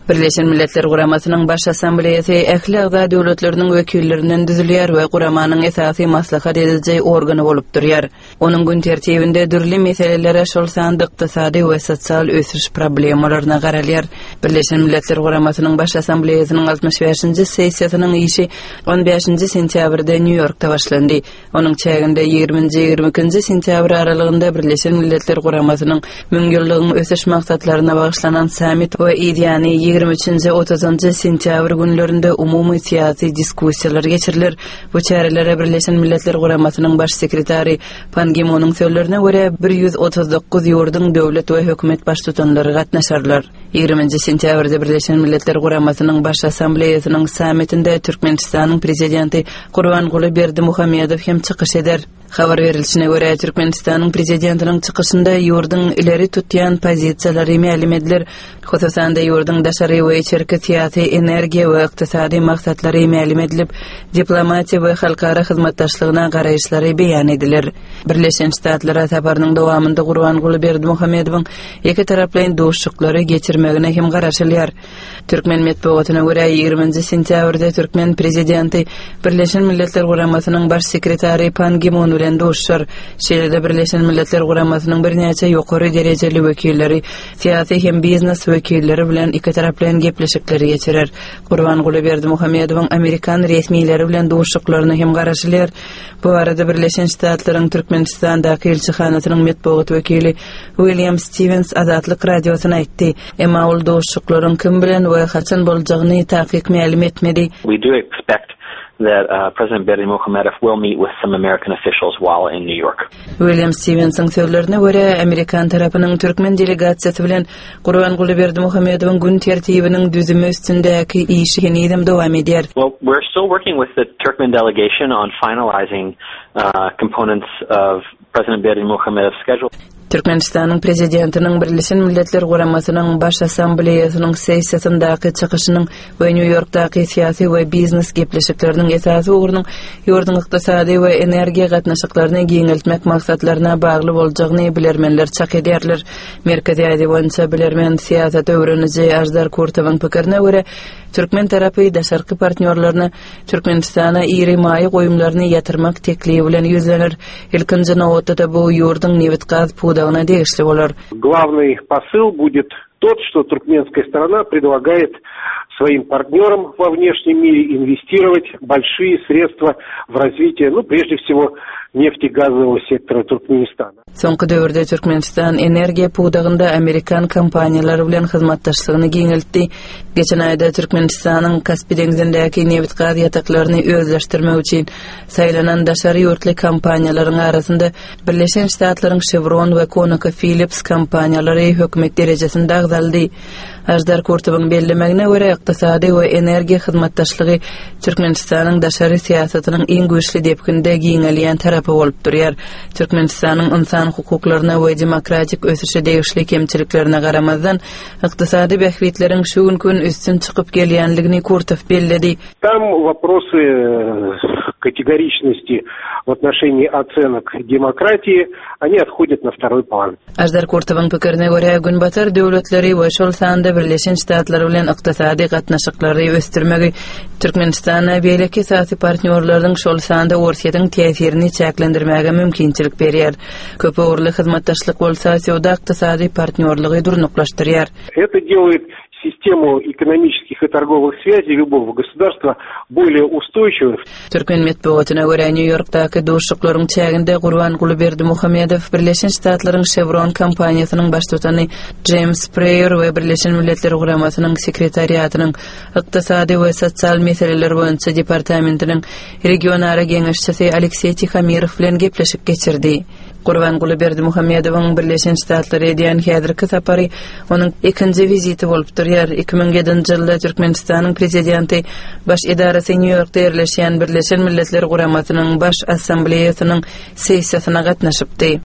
Birleşen Milletler Guramasynyň Baş Assambleýasy ähli agza döwletleriniň wekillerinden düzülýär we guramanyň esasy maslahat ediji organy bolup durýar. Onuň gün tertibinde dürli meselelere, şol sanda ykdysady we sosial ösüş problemalaryna garalýar. Birleşen Milletler Guramasynyň Baş Assambleýasynyň 65-nji sessiýasynyň işi 15-nji sentýabrda Nýu-Ýorkda başlandy. Onuň çäginde ýigriminji, 22-nji sentýabr aralygynda Birleşen Milletler Guramasynyň Müňýyllygyň ösüş maksatlaryna bagyşlanan sammit we yzýany 23-nji, 30-njy sentýabr günlerinde umumy syýasy diskussiýalar geçiriler. Bu çärelere Birleşen Milletler Guramasynyň Baş sekretary Pan Gi Munuň sözlerine görä, 139 ýurduň döwlet we hökümet baştutanlary gatnaşarlar. Ýigriminji sentýabrda Birleşen Milletler Guramasynyň Baş Assambleýasynyň sammitinde Türkmenistanyň Prezidenti Gurbanguly Berdimuhamedow hem çykyş eder. Habar berilişine görä, Türkmenistanyň Prezidentiniň çykyşynda ýurduň ileri tutýan pozisiýalary mälim ediler. Hususan-da, ýurduň daşary we içerki syýasy, energiýa we ykdysady maksatlary mälim edilip, diplomatiýa we halkara hyzmatdaşlygyna garaýyşlary beýan ediler. Birleşen Ştatlara saparynyň dowamynda Gurbanguly Berdimuhamedowyň ikitaraplaýyn duşuşyklary geçirmegine hem garaşylýar. Türkmen metbugatyna görä, 20-nji sentýabrda türkmen prezidenti Birleşen Milletler Guramasynyň Baş sekretary Pan Gi Mun bilen duşuşar. Şeýle-de Birleşen Milletler Guramasynyň birnäçe ýokary derejeli wekilleri, syýasy hem biznes wekilleri bilen ikitaraplaýyn gepleşikleri geçirer. Gurbanguly Berdimuhamedowyň amerikan resmileri bilen duşuşyklaryna hem garaşylýar. Bu barada Birleşen Ştatlaryň Türkmenistandaky ilçihanasynyň metbugat wekili William Stiwens Azatlyk Radiosyna aýtdy. Emma ol duşuşyklaryň kim bilen we haçan boljagyny takyk mälim etmedi. We do expect that President Berdimuhamedow will meet with some American officials while in New York. William Stiwensiň sözlerine görä, amerikan tarapynyň türkmen delegasiýasy bilen Gurbanguly Berdimuhamedowyň gün tertibiniň düzümi üstündäki işi henizem dowam edýär. Well, we're still working with the Turkmen delegation on finalizing components of President Berdimuhamedow's schedule. Türkmenistanyň Prezidentiniň Birleşen Milletler Guramasynyň Baş Assambleýasynyň sessiýasyndaky çykyşynyň we Nýu-Ýorkdaky syýasy we biznes gepleşikleriniň esasy ugrunyň ýurduň ykdysady we energiýa gatnaşyklaryny giňeltmek maksatlaryna bagly boljagyny bilermenler çak edýärler. Merkezi Aziýa boýunça bilermen, syýasat öwreniji Aždar Kurtowyň pikirine görä, türkmen tarapy daşarky partnýorlaryna Türkmenistana iri maýa goýumlaryny ýatyrmak teklibi bilen ýüzlener. Ilkinji nobatda-da bu ýurduň nebit-gaz pudagyna degişli bolar. Главный посыл будет тот, что туркменская сторона предлагает своим партнерам во внешнем мире инвестировать большие средства в развитие, ну, прежде всего, нефтегазового сектора Туркменистана. Soňky döwürde Türkmenistan energiýa pudagynda amerikan kompaniýalary bilen hyzmatdaşlygyny giňeltdi. Geçen aýda Türkmenistanyň Kaspi deňzindäki nebit-gaz ýataklaryny özleşdirmek üçin saýlanan daşary ýurtly kompaniýalaryň arasynda Birleşen Ştatlaryň Chevron we ConocoPhillips kompaniýalary hökümet derejesinde agzaldy. Aždar Kurtowyň bellemegine görä, ykdysady we energiýa hyzmatdaşlygy Türkmenistanyň daşary syýasatynyň iň güýçli depginde giňelýän tarapy bolup durýar. Türkmenistanyň ynsan hukuklaryna we demokratik ösüşe degişli kemçiliklerine garamazdan, ykdysady bähbitleriň şu günki gün üstün çykyp gelýänligini Kurtow belledi. Tam woprosy kategoriçnosti w otnoşenii ocenok demokratiýi, oni othodýat na wtoroý plan. Aždar Kurtowyň pikirine görä, Günbatar döwletleri we şol sanda Birleşen Ştatlar bilen ykdysady gatnaşyklary ösdürmegi Türkmenistana beýleki esasy partnýorlarynyň, şol sanda Orsýetiň täsirini çäklendirmäge mümkinçilik berýär. Köpugurly hyzmatdaşlyk bolsa söwda-ykdysady partnýorlygy durnuklaşdyrýar. Это делает систему ekonomiçeskih i torgowyh swýazей lýubogo gosudarstwa bolее ustoýçiwoý. Türkmen metbugatyna görä, Nýu-Ýorkdaky duşuşyklaryň çäginde Gurbanguly Berdimuhamedow Birleşen Ştatlaryň Chevron kompaniýasynyň baştutany Jeýms Preýor we Birleşen Milletler Guramasynyň Sekretariatynyň Ykdysady we sosial meseleler boýunça departamentiniň regionara geňeşçisi Alekseý Tihomirow bilen gepleşik geçirdi. Gurbanguly Berdimuhamedowyň Birleşen Ştatlara edýän häzirki sapary onuň ikinji wiziti bolup durýar. 2007-nji ýylda Türkmenistanyň Prezidenti baş edarasy Nýu-Ýorkda ýerleşýän Birleşen Milletler Guramasynyň Baş Assambleýasynyň sessiýasyna gatnaşypdy.